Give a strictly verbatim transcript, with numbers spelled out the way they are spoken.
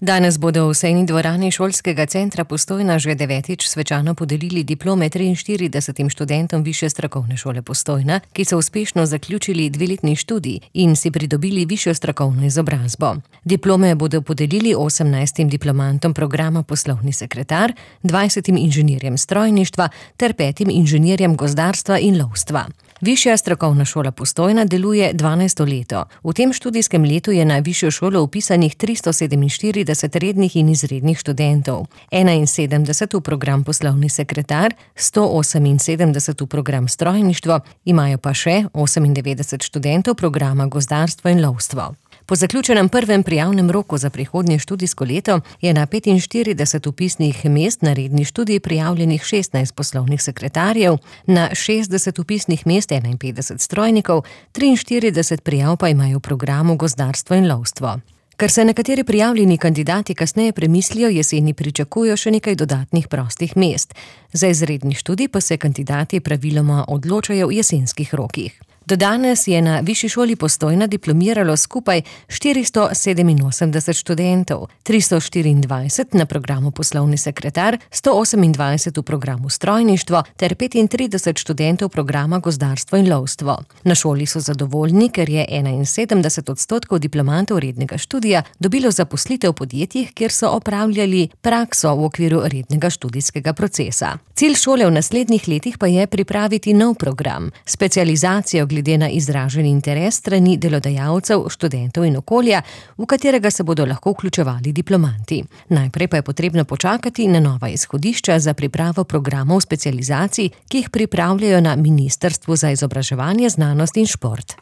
Danes bodo v sejni dvorani Šolskega centra Postojna že devetič svečano podelili diplome triinštiridesetim študentom Višje strokovne šole Postojna, ki so uspešno zaključili dveletni študij in si pridobili višjo strokovno izobrazbo. Diplome bodo podelili osemnajstim diplomantom programa Poslovni sekretar, dvajsetim inženirjem strojništva ter petim inženirjem gozdarstva in lovstva. Višja strokovna šola Postojna deluje dvanajsto leto. V tem študijskem letu je na višjo šolo vpisanih tristo sedeminštirideset rednih in izrednih študentov, enainsedemdeset v program Poslovni sekretar, sto oseminsedemdeset v program strojništvo, imajo pa še osemindevetdeset študentov programa gozdarstvo in lovstvo. Po zaključenem prvem prijavnem roku za prihodnje študijsko leto je na petinštirideset vpisnih mest na redni študij prijavljenih šestnajst poslovnih sekretarjev, na šestdeset vpisnih mest enainpetdeset strojnikov, triinštirideset prijav pa imajo v programu gozdarstvo in lovstvo. Ker se nekateri prijavljeni kandidati kasneje premislijo, jeseni pričakujejo še nekaj dodatnih prostih mest. Za izredni študij pa se kandidati praviloma odločajo v jesenskih rokih. Do danes je na Višji šoli Postojna diplomiralo skupaj štiristo sedeminosemdeset študentov, tristo štiriindvajset na programu Poslovni sekretar, sto osemindvajset v programu strojništvo ter petintrideset študentov programa gozdarstvo in lovstvo. Na šoli so zadovoljni, ker je enainsedemdeset odstotkov diplomantov rednega študija dobilo zaposlitev v podjetjih, kjer so opravljali prakso v okviru rednega študijskega procesa. Cilj šole v naslednjih letih pa je pripraviti nov program, specializacijo glede na izražen interes strani delodajalcev, študentov in okolja, v katerega se bodo lahko vključevali diplomanti. Najprej pa je potrebno počakati na nova izhodišča za pripravo programov specializacij, ki jih pripravljajo na Ministrstvu za izobraževanje, znanost in šport.